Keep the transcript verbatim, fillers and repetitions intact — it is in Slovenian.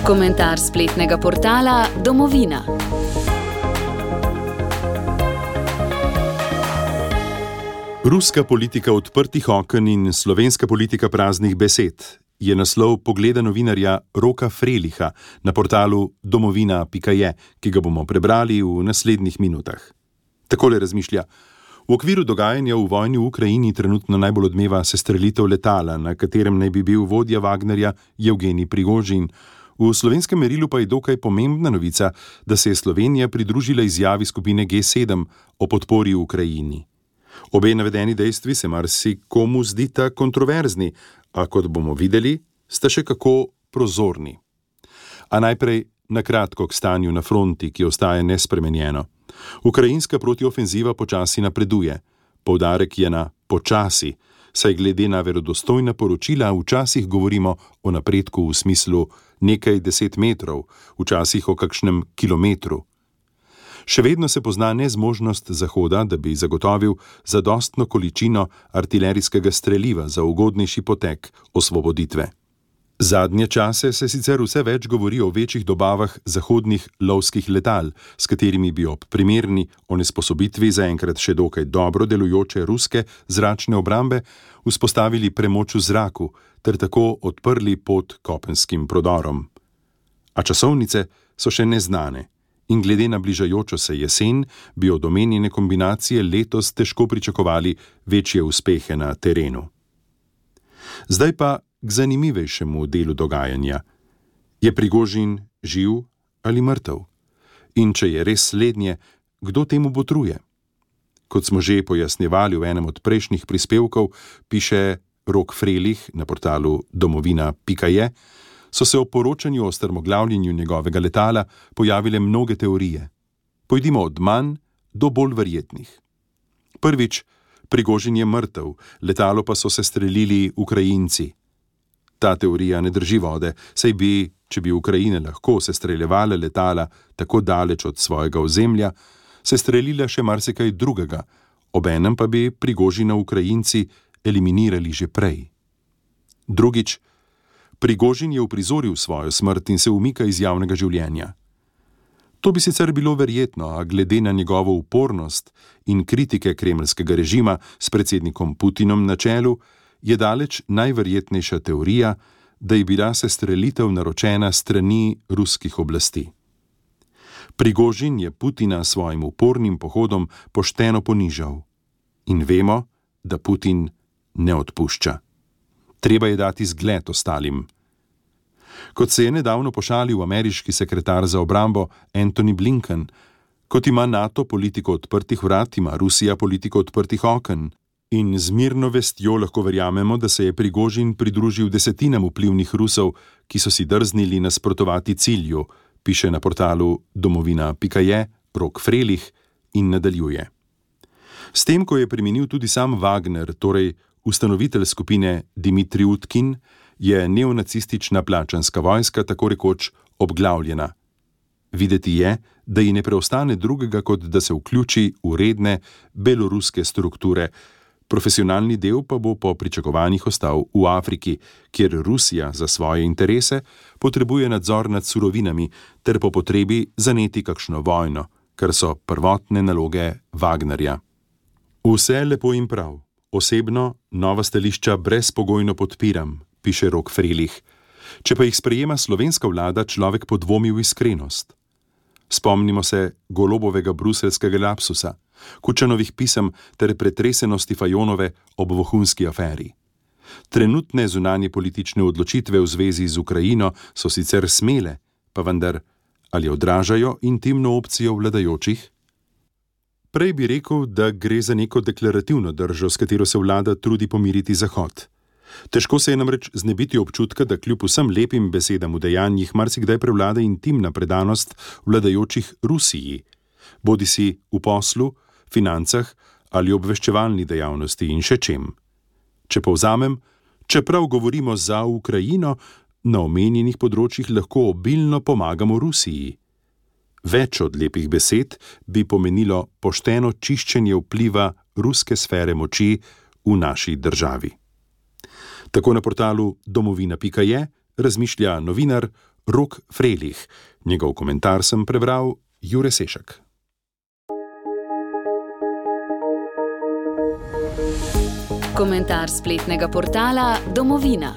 Komentar spletnega portala Domovina. Ruska politika odprtih oken in slovenska politika praznih besed je naslov pogleda novinarja Roka Freliha na portalu domovina pika je, ki ga bomo prebrali v naslednjih minutah. Takole razmišlja: v okviru dogajanja v vojni v Ukrajini trenutno najbolj odmeva sestrelitev letala, na katerem naj bi bil vodja Wagnerja Jevgenij Prigožin. V slovenskem merilu pa je dokaj pomembna novica, da se je Slovenija pridružila izjavi skupine G sedem o podpori Ukrajini. Obe navedeni dejstvi se marsikomu zdita kontroverzni, a kot bomo videli, sta še kako prozorni. A najprej na kratko k stanju na fronti, ki ostaja nespremenjeno. Ukrajinska protiofenziva počasi napreduje. Poudarek je na počasi, saj glede na verodostojna poročila včasih govorimo o napredku v smislu nekaj deset metrov, včasih o kakšnem kilometru. Še vedno se pozna nezmožnost Zahoda, da bi zagotovil zadostno količino artilerijskega streliva za ugodnejši potek osvoboditve. Zadnje čase se sicer vse več govori o večjih dobavah zahodnih lovskih letal, s katerimi bi ob primerni onesposobitvi zaenkrat še dokaj dobro delujoče ruske zračne obrambe vzpostavili premoč v zraku ter tako odprli pot kopenskim prodorom. A časovnice so še neznane. In glede na bližajočo se jesen bi od omenjene kombinacije letos težko pričakovali večje uspehe na terenu. Zdaj pa k zanimivejšemu delu dogajanja. Je Prigožin živ ali mrtev? In če je res slednje, kdo temu botruje? Kot smo že pojasnjevali v enem od prejšnjih prispevkov, piše Rok Frelih na portalu domovina pika je, so se o poročanju o strmoglavljenju njegovega letala pojavile mnoge teorije. Pojdimo od manj do bolj verjetnih. Prvič, Prigožin je mrtev, letalo pa so sestrelili Ukrajinci. Ta teorija ne drži vode, saj bi, če bi Ukrajine lahko sestreljevale letala tako daleč od svojega ozemlja, sestrelila še marsikaj drugega, obenem pa bi Prigožina Ukrajinci eliminirali že prej. Drugič, Prigožin je uprizoril svojo smrt in se umika iz javnega življenja. To bi sicer bilo verjetno, a glede na njegovo upornost in kritike kremeljskega režima s predsednikom Putinom na čelu, je daleč najverjetnejša teorija, da je bila sestrelitev naročena strani ruskih oblasti. Prigožin je Putina s svojim upornim pohodom pošteno ponižal. In vemo, da Putin ne odpušča. Treba je dati zgled ostalim. Kot se je nedavno pošalil ameriški sekretar za obrambo Antony Blinken, kot ima NATO politiko odprtih vrat, ima Rusija politiko odprtih oken. In z mirno vestjo lahko verjamemo, da se je Prigožin pridružil desetinam vplivnih Rusov, ki so si drznili nasprotovati cilju, piše na portalu domovina pika je Rok Frelih in nadaljuje. S tem, ko je preminil tudi sam Wagner, torej ustanovitelj skupine Dimitrij Utkin, je neonacistična plačanska vojska tako rekoč obglavljena. Videti je, da ji ne preostane drugega, kot da se vključi v redne beloruske strukture. Profesionalni del pa bo po pričakovanjih ostal v Afriki, kjer Rusija za svoje interese potrebuje nadzor nad surovinami ter po potrebi zaneti kakšno vojno, kar so prvotne naloge Wagnerja. Vse lepo in prav. Osebno nova stališča brezpogojno podpiram, piše Rok Frelih. Če pa jih sprejema slovenska vlada, človek podvomi v iskrenost. Spomnimo se Golobovega bruseljskega lapsusa, Kučanovih pisem ter pretresenosti Fajonove ob vohunski aferi. Trenutne zunanje politične odločitve v zvezi z Ukrajino so sicer smele, pa vendar, ali odražajo intimno opcijo vladajočih? Prej bi rekel, da gre za neko deklarativno držo, s katero se vlada trudi pomiriti Zahod. Težko se je namreč znebiti občutka, da kljub vsem lepim besedam v dejanjih marsikdaj prevlada intimna predanost vladajočih Rusiji, bodisi v poslu, financah ali obveščevalni dejavnosti in še čem. Če povzamem, čeprav govorimo za Ukrajino, na omenjenih področjih lahko obilno pomagamo Rusiji. Več od lepih besed bi pomenilo pošteno čiščenje vpliva ruske sfere moči v naši državi. Tako na portalu domovina pika je razmišlja novinar Rok Frelih. Njegov komentar sem prebral Jure Sešek. Komentar spletnega portala Domovina.